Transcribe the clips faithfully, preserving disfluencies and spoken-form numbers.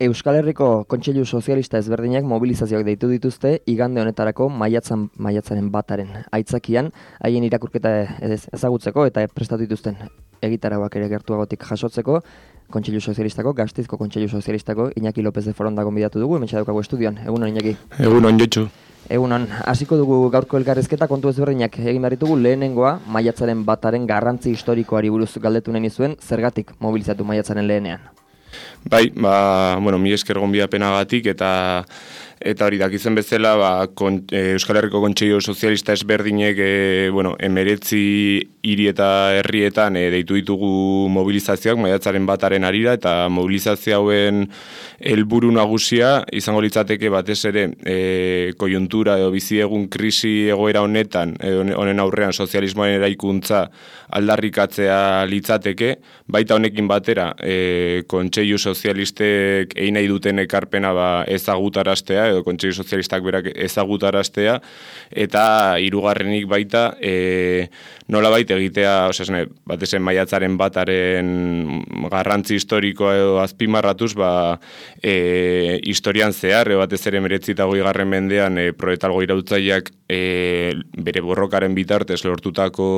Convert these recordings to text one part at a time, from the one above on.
Euskal Herriko Kontseilu Sozialista ezberdinak mobilizazioak deitu dituzte igande honetarako maiatzan, maiatzaren bataren aitzakian, haien irakurketa ezagutzeko eta prestatu dituzten egitarauak ere gertuagotik jasotzeko, Kontseilu Sozialistako, Gasteizko Kontseilu Sozialistako Iñaki López de Foronda gonbidatu dugu, hementsa daukagu estudioan. Egunon, Iñaki. Egunon, Jotxu. Egunon, hasiko dugu gaurko elkarrizketa kontu ezberdinak egin behar ditugu. Lehenengoa, maiatzaren bataren garrantzi historikoari buruz galdetu nahi nizuen, zergatik mobilizatu maiatzaren lehenean? Bai, ba, bueno, mi esker gonbidapenagatik eta eta hori dakizen bezala, ba, kon, e, Euskal Herriko Kontseilu Sozialista ezberdinek e, bueno, emeretzi hiri eta herrietan e, deitu ditugu mobilizazioak maiatzaren bataren arira, eta mobilizazio hauen helburu nagusia izango litzateke batez ere e, koiuntura edo bizi egun krisi egoera honetan, edo honen aurrean sozialismoaren eraikuntza aldarrikatzea litzateke, baita honekin batera e, Kontseilu Sozialistek egin nahi duten ekarpena ba, ezagutaraztea, edo Kontseilu Sozialistak berak ezagutaraztea, eta hirugarrenik baita e, nolabait egitea, osasune, batez maiatzaren bataren garrantzi historikoa edo azpimarratuz, ba, e, historian zehar, edo batez ere meretzi eta hogeigarren mendean e, proletalgo irautzaileak e, bere borrokaren bitartez lortutako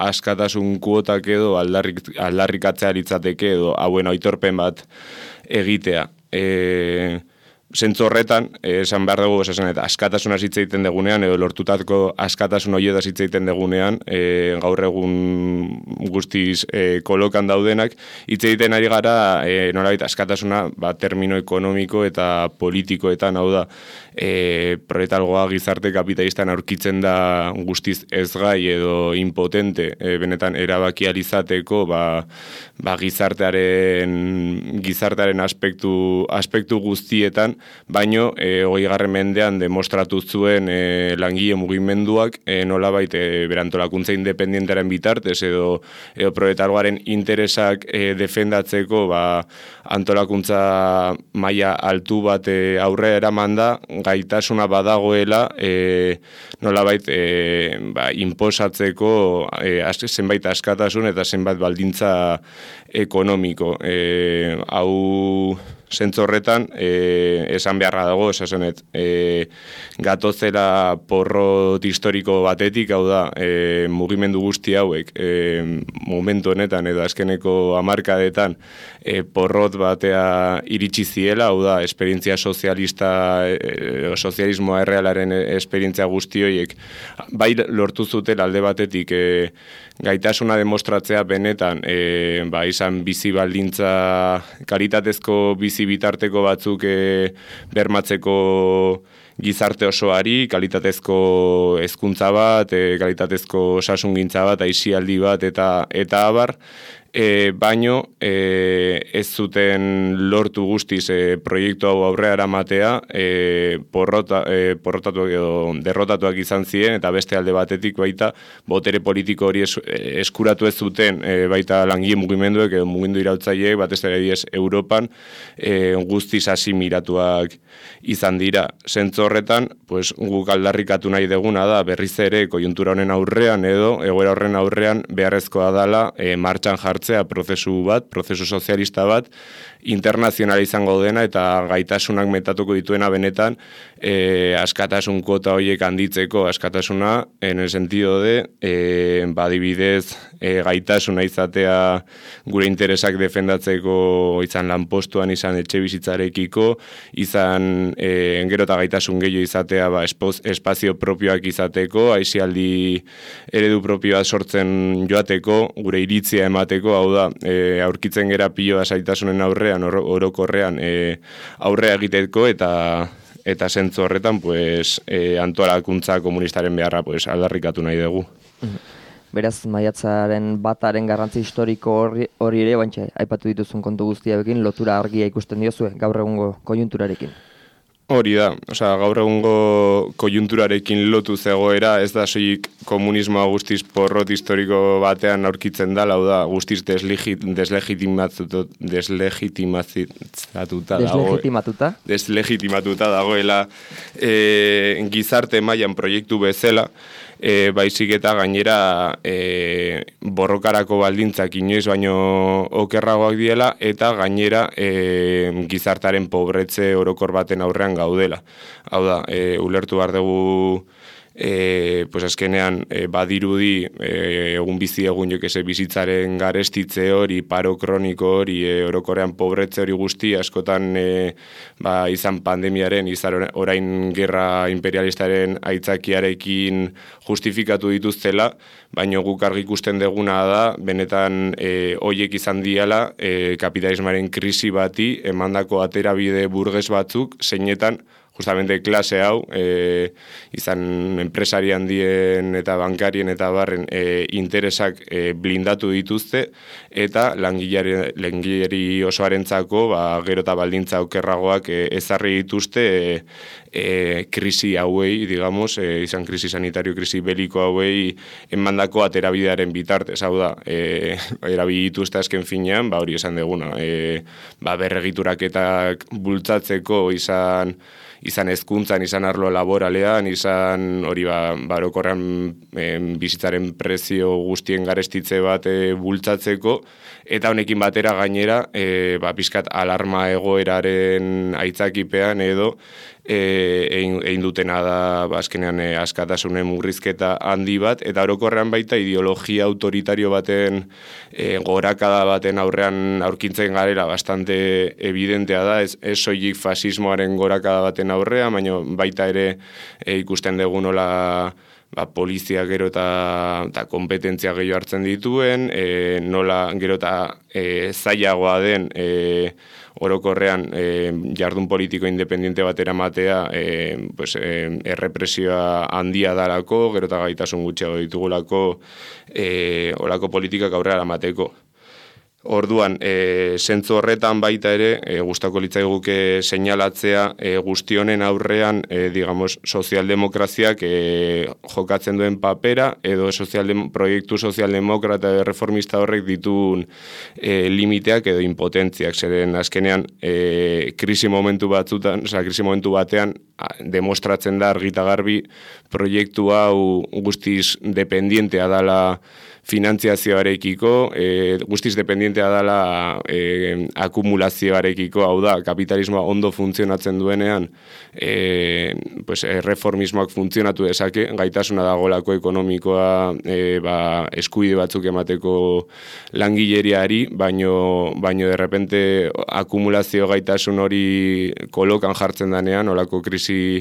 askatasun kuotak edo aldarrik, aldarrikatzea litzateke edo hauen aitorpen bat egitea. E, Zentzu horretan, esan behar dugu, esan eta askatasuna hitz egiten degunean, edo lortutako askatasun horietaz hitz egiten degunean, e, gaur egun guztiz e, kolokan daudenak, hitz egiten ari gara, e, nolabait askatasuna, ba, termino ekonomiko eta politikoetan, hau da, e, proletalgoa gizarte kapitalistan aurkitzen da guztiz ezgai edo impotente, e, benetan erabakializateko, ba, ba, gizartearen, gizartearen aspektu, aspektu guztietan, baino e, hogeigarren mendean demostratu zuen e, langile mugimenduak e, nolabait e, berantolakuntza independientaren bitartez edo, edo proletargoaren interesak e, defendatzeko ba, antolakuntza maila altu bat e, aurrera eraman da, gaitasuna badagoela e, nolabait e, ba, inposatzeko e, zenbait askatasun eta zenbait baldintza ekonomiko. E, hau zentzu horretan, e, esan beharra dago, esasenet, e, gatozela porrot historiko batetik, hau da, e, mugimendu guzti hauek, e, momentu honetan edo azkeneko hamarkadetan e, porrot batea iritsi ziela, hau da, esperientzia sozialista, e, sozialismoa errealaren esperientzia guzti horiek, bai lortu zuten alde batetik, e, gaitasuna demostratzea benetan, e, ba, izan bizi baldintza, kalitatezko bizi bitarteko batzuk e, bermatzeko gizarte osoari, kalitatezko hezkuntza bat, e, kalitatezko osasungintza bat, aisialdi bat eta eta abar, e, baino e, ez zuten lortu guztiz e, proiektu hau aurrera eramatea, e, porrota, e, porrotatuak edo derrotatuak izan ziren, eta beste alde batetik baita botere politiko hori es, eskuratu ez zuten e, baita langile mugimenduek edo mugimendu irautzaileek batez ere diez Europan e, guztiz asimilatuak izan dira. Zentzu horretan, pues, guk aldarrikatu nahi deguna da berriz ere koiuntura honen aurrean edo egoera horren aurrean beharrezkoa dala e, martxan jartzea prozesu bat, prozesu sozialista bat, internazionala izango dena eta gaitasunak metatuko dituena benetan e, askatasun kuota horiek handitzeko, askatasuna en el sentido de e, badibidez e, gaitasuna izatea gure interesak defendatzeko izan lanpostuan, izan etxe bizitzarekiko, izan e, gero eta gaitasun gehiago izatea ba, espoz, espazio propioak izateko, aisialdi eredu propioa sortzen joateko, gure iritzia emateko, hau da, e, aurkitzen gera piloa zaitasunen aurrean, oro, orokorrean e, aurrea egiteko eta eta zentzu horretan pues, e, antolakuntza komunistaren beharra pues, aldarrikatu nahi dugu. Beraz, maiatzaren bataren garrantzi historiko hori, hori ere, baintxe, aipatu dituzun kontu guztiarekin lotura argia ikusten diozue, gaur egungo koiunturarekin. Hori da, osea, gaur egungo koiunturarekin lotu zegoera, ez da soilik komunismoa guztiz porrot historiko batean aurkitzen da, lau da, guztiz deslegitimatuta deslegitimatuta deslegitimatuta dagoela e, gizarte mailan proiektu bezala, e, baizik eta gainera e, borrokarako baldintzak inoiz baino okerragoak diela, eta gainera e, gizartaren pobretze orokor baten aurrean gaudela. Hau da, e, ulertu behar dugu e, pues azkenean e, badirudi e, egun bizi egun jokese bizitzaren garestitze hori, paro kroniko hori, e, orokorrean pobretze hori guzti, askotan e, ba, izan pandemiaren, izan orain gerra imperialistaren aitzakiarekin justifikatu dituztela, baina guk argi ikusten deguna da, benetan e, hoiek izan diala e, kapitalismaren krisi bati, emandako aterabide burges batzuk, zeinetan, justamente klase hau, e, izan enpresari handien eta bankarien eta barren e, interesak e, blindatu dituzte, eta langileri, langileri osoarentzako ba, gero eta baldintza okerragoak e, ezarri dituzte e, e, krisi hauei, digamos, e, izan krisi sanitario, krisi beliko hauei emandako aterabidearen bitartez, hau da, e, erabili dituzte azken finean, ba hori esan deguna, e, ba berregituraketak bultzatzeko izan izan hezkuntzan, izan arlo laboralean, izan hori ba, barokorrean e, bizitzaren prezio guztien garestitze bat e, bultzatzeko, eta honekin batera gainera, e, ba, pixkat alarma egoeraren aitzakipean edo, e, egin, egin dutena da ba, azkenean e, askatasunen murrizketa handi bat, eta orokorrean baita ideologia autoritario baten e, gorakada baten aurrean aurkintzen garela bastante evidentea da, ez, ez soilik fasismoaren gorakada baten aurrean, baina baita ere e, ikusten dugu nola ba, polizia gero eta, eta kompetentzia gehiago hartzen dituen, e, nola gero eta e, zailagoa den e, orokorrean e, jardun politiko independiente batera matea e, pues, e, errepresioa handia dalako, gero eta gaitasun gutxiago ditugulako e, olako politikak aurrera mateko. Orduan, e, zentzu horretan baita ere, e, gustako litzaiguke seinalatzea e, guzti honen aurrean, e, digamos, sozialdemokraziak e, jokatzen duen papera, edo sozialdem, proiektu sozialdemokrata edo reformista horrek dituen e, limiteak edo impotentziak, zeren azkenean e, krisi momentu batzutan, oza, krisi momentu batean, a, demostratzen da argita garbi proiektu hau guztiz dependientea dala finantziazioarekiko, e, guztiz dependientea dela e, akumulazioarekiko, hau da, kapitalismoa ondo funtzionatzen duenean, e, pues, reformismoak funtzionatu dezake, gaitasuna dagolako ekonomikoa e, ba, eskubide batzuk emateko langileriari, baino, baino de repente akumulazio gaitasun hori kolokan jartzen danean, olako krisi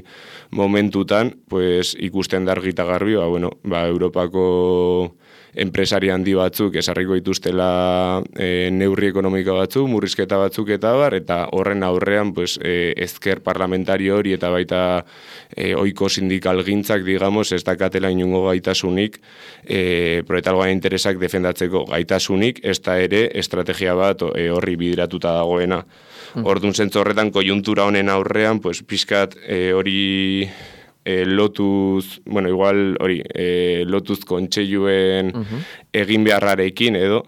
momentutan, pues, ikusten da argita garbi, ba, bueno, ba, Europako enpresari handi batzuk esarriko dituztela e, neurri ekonomiko batzuk, murrizketa batzuk eta bar, eta horren aurrean pues, e, ezker parlamentario hori eta baita e, oiko sindikal gintzak, digamos, ez dakatela inungo gaitasunik, e, proletargoaren interesak defendatzeko gaitasunik, ez da ere estrategia bat e, horri bideratuta dagoena. Mm. Orduan zentzu horretan, kojuntura honen aurrean, pues, pixkat e, hori... E, lotuz, bueno, igual hori, e, lotuz kontseiluen uh-huh. egin beharrarekin edo,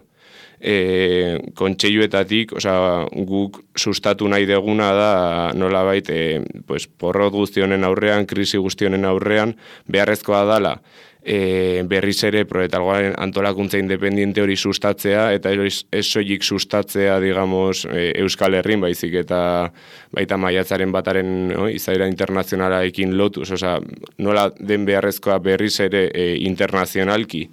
e, kontseiluetatik, osea, guk sustatu nahi deguna da nolabait, e, pues, porrot guzti honen aurrean, krisi guzti honen aurrean, beharrezkoa dala, E, berriz ere proletargoaren antolakuntza independiente hori sustatzea, eta ez soilik sustatzea, digamos, e, Euskal Herrin baizik, eta baita maiatzaren bataren no, izaera internazionalaekin lotuz, osea, nola den beharrezkoa berriz ere e, internazionalki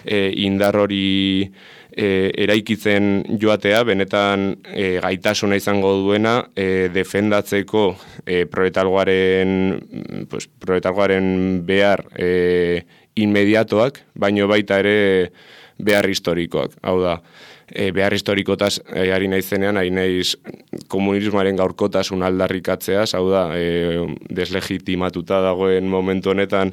e, indar hori e, eraikitzen joatea, benetan e, gaitasuna izango duena e, defendatzeko e, proletargoaren pues, proletargoaren behar e, inmediatoak, baino baita ere behar historikoak. Hau da, e, behar historikotaz e, ari naizenean, ari naiz komunismoaren gaurkotasun aldarrikatzeaz, hau da, e, deslegitimatuta dagoen momentu honetan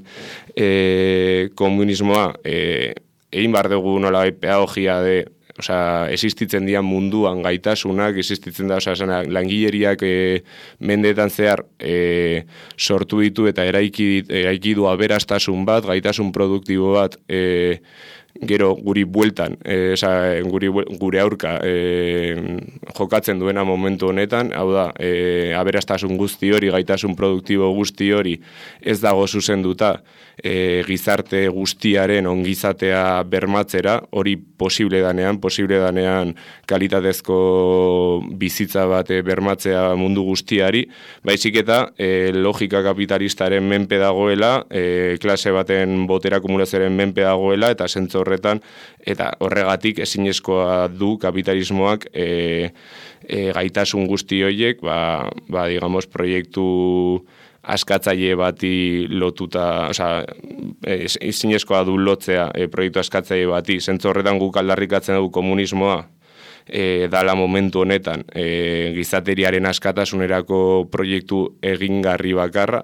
e, komunismoa e, egin behar dugu nolabait pedagogia de osea, existitzen dira munduan gaitasunak, existitzen da, osea, langileriak e, mendeetan zehar e, sortu ditu eta eraiki, eraiki du aberastasun bat, gaitasun produktibo bat, e, gero guri bueltan, e, esa, guri, gure aurka e, jokatzen duena momentu honetan, hau da, e, aberastasun guzti hori, gaitasun produktibo guzti hori ez dago zuzenduta e, gizarte guztiaren ongizatea bermatzera, hori posible danean, posible danean kalitatezko bizitza bat e, bermatzea mundu guztiari, baizik eta e, logika kapitalistaren menpe dagoela, e, klase baten botera akumulazioaren menpe dagoela, eta zentzu horretan, eta horregatik ezinezkoa du kapitalismoak e, e, gaitasun guzti horiek, ba, ba, digamos, proiektu askatzaile bati lotuta, osea, ezinezkoa du lotzea e, proiektu askatzaile bati, zentzu horretan guk aldarrikatzen dugu komunismoa, E, dala momentu honetan e, gizateriaren askatasunerako proiektu egingarri bakarra,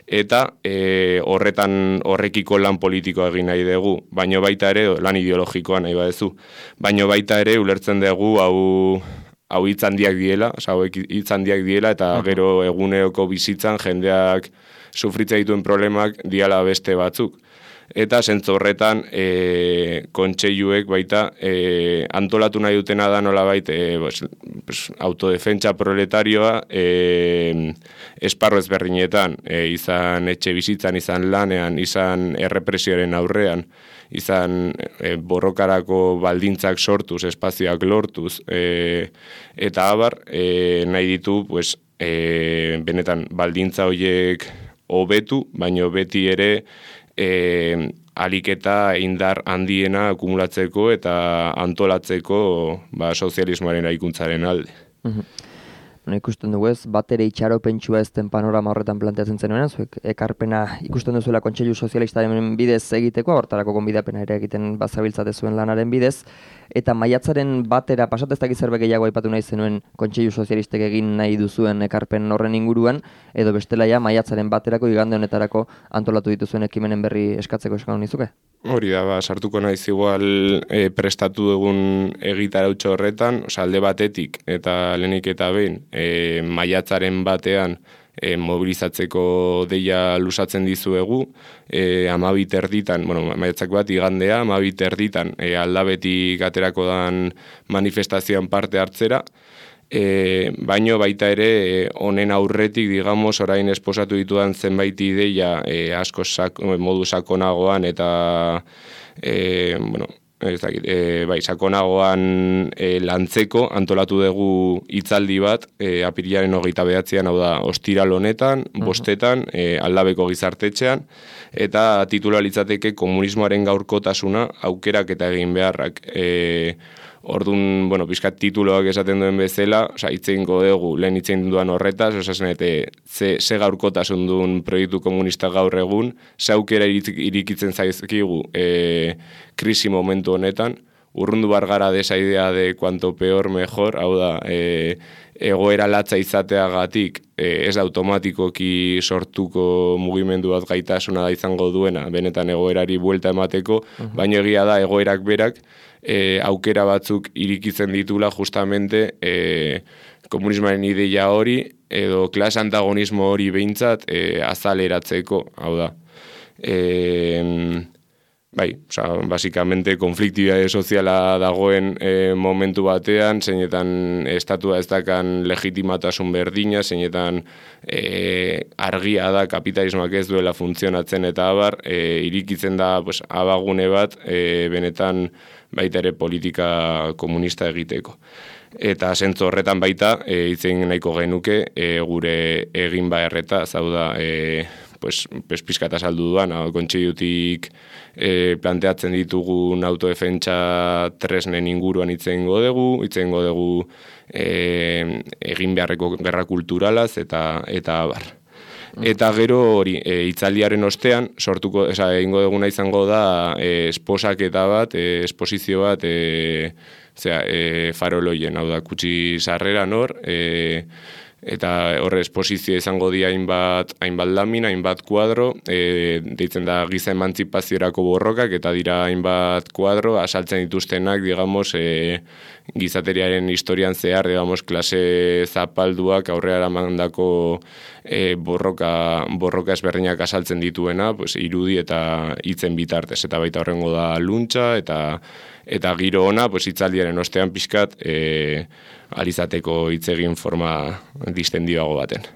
eta e, horretan horrekiko lan politikoa egin nahi dugu, baino baita ere, lan ideologikoa nahi badezu, baino baita ere ulertzen dugu hau hau hitz handiak diela, oza, hau hitz handiak diela, eta gero eguneroko bizitzan jendeak sufritzen dituen problemak diala beste batzuk. Eta zentzu horretan e, kontseiluek baita e, antolatu nahi dutena da nolabait e, pues, pues, autodefentsa proletarioa e, esparro ezberdinetan, e, izan etxe bizitzan, izan lanean, izan errepresioaren aurrean, izan e, borrokarako baldintzak sortuz, espazioak lortuz, e, eta abar e, nahi ditu pues, e, benetan baldintza horiek hobetu, baino beti ere E, alik eta indar handiena akumulatzeko eta antolatzeko ba, sozialismoaren aikuntzaren alde. Mhm. Bueno, ikusten dugu ez, bat ere itxaropentsua ez den panorama horretan planteatzen zenuen, zuek ekarpena ikusten duzuela Kontseilu Sozialistaren bidez egiteko, hortarako gonbidapena ere egiten bazabiltzate zuen lanaren bidez, eta maiatzaren batera pasat ez dakit zerbait gehiago aipatu nahi zenuen Kontseilu Sozialistek egin nahi duzuen ekarpen horren inguruan, edo bestela ja maiatzaren baterako igande honetarako antolatu dituzuen ekimenen berri eskatzeko eskatu nizuke? Hori da, ba, sartuko naiz igual e, prestatu dugun egitarautxo horretan, oza, alde batetik eta lehenik eta behin, e, maiatzaren batean e, mobilizatzeko deia lusatzen dizuegu, e, amabit erditan, bueno, maiatzak bat igandea, amabit erditan e, aldabetik aterako dan manifestazioan parte hartzera, E, baino baita ere honen aurretik, digamos, orain esposatu ditudan zenbait ideia e, asko sak, modu sakonagoan eta e, bueno, ez dakit, e, bai, sakonagoan e, lantzeko antolatu dugu hitzaldi bat e, apirilaren hogeita behatzean, hau da, ostiral honetan, bostetan, e, aldabeko gizartetxean, eta titula litzateke komunismoaren gaurkotasuna aukerak eta egin beharrak. E, Orduan, bueno, pizkat tituloak esaten duen bezala, oza, itzeingo dugu, lehen itzein duan horretaz, oza, zenete, ze, ze gaurkotasun duen proiektu komunista gaur egun, ze aukera irikitzen zaizkigu e, krisi momentu honetan, urrundu bargara desa idea de cuanto peor mejor, hau da, e, egoera latza izateagatik, e, ez da automatikoki sortuko mugimendu bat gaitasuna da izango duena, benetan egoerari buelta emateko, uh-huh. Baina egia da egoerak berak, E, aukera batzuk irikitzen ditula justamente e, komunismoaren ideia hori edo klas antagonismo hori behintzat e, azaleratzeko, hau da. E, bai, oza, basikamente konfliktibitate soziala dagoen e, momentu batean, zeinetan estatua ez dakan legitimatasun berdina, zeinetan e, argia da kapitalismoak ez duela funtzionatzen eta abar, e, irikitzen da pues, abagune bat, e, benetan baita ere politika komunista egiteko. Eta zentzu horretan baita, e, itzen nahiko genuke, e, gure egin baherreta, zau da, e, pues, pues pizkata saldu duan, kontseilutik e, planteatzen ditugun autodefentsa tresnen inguruan itzeingo dugu, itzeingo dugu e, egin beharreko gerra kulturalaz eta eta abar. Eta gero hori, e, hitzaldiaren ostean, sortuko, esa, egingo duguna izango da e, esposaketa bat, e, esposizio bat, e, zera, e, faroloien, hau da, kutsi sarrera nor, e, eta horre esposizio izango di hainbat, hainbat lamin, hainbat kuadro, e, deitzen da giza emantzipaziorako borrokak, eta dira hainbat kuadro, asaltzen dituztenak, digamos, e, gizateriaren historian zehar, digamos, klase zapalduak aurrera mandako e, borroka, borroka ezberdinak asaltzen dituena, pues, irudi eta hitzen bitartez, eta baita horrengo da luntza, eta eta giro ona, pues, hitzaldiaren ostean pixkat, e, alizateko hitz egin forma distendioago baten.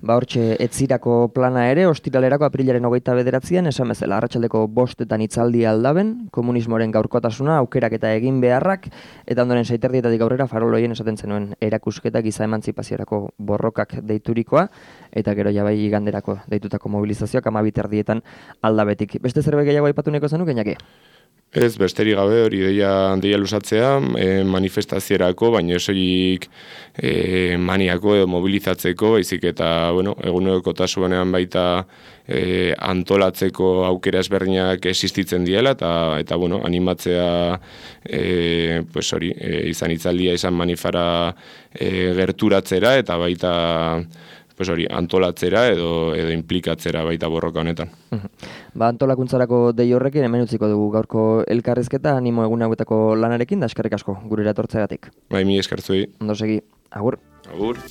Ba hortxe, etzirako plana ere, ostiralerako aprilaren hogeita bederatzean, esan bezala, arratsaldeko bostetan hitzaldi aldaben, komunismoaren gaurkotasuna, aukerak eta egin beharrak, eta ondoren seiterdietatik aurrera faroloien esaten zenuen erakusketa giza emantzipaziorako borrokak deiturikoa, eta gero jabai iganderako deitutako mobilizazioak amabiterdietan aldabetik. Beste zerbait gehiago aipatu neko zenuk, Iñaki? Ez, besterik gabe hori deia, deia luzatzea, e, manifestazierako, baina esoik e, maniako edo mobilizatzeko, baizik eta, bueno, egunerokotasunean baita e, antolatzeko aukera ezberdinak existitzen diela, eta, eta bueno, animatzea e, pues hori, e, izan hitzaldia, izan manifara e, gerturatzera, eta baita pues hori, antolatzera edo edo implikatzera baita borroka honetan. Ba, antolakuntzarako dei horrekin hemen utziko dugu gaurko elkarrizketa, animo egun hauetako lanarekin, da eskerrik asko gurera etortzeagatik. Bai, mi eskertzuei. Ondo segi, agur. Agur.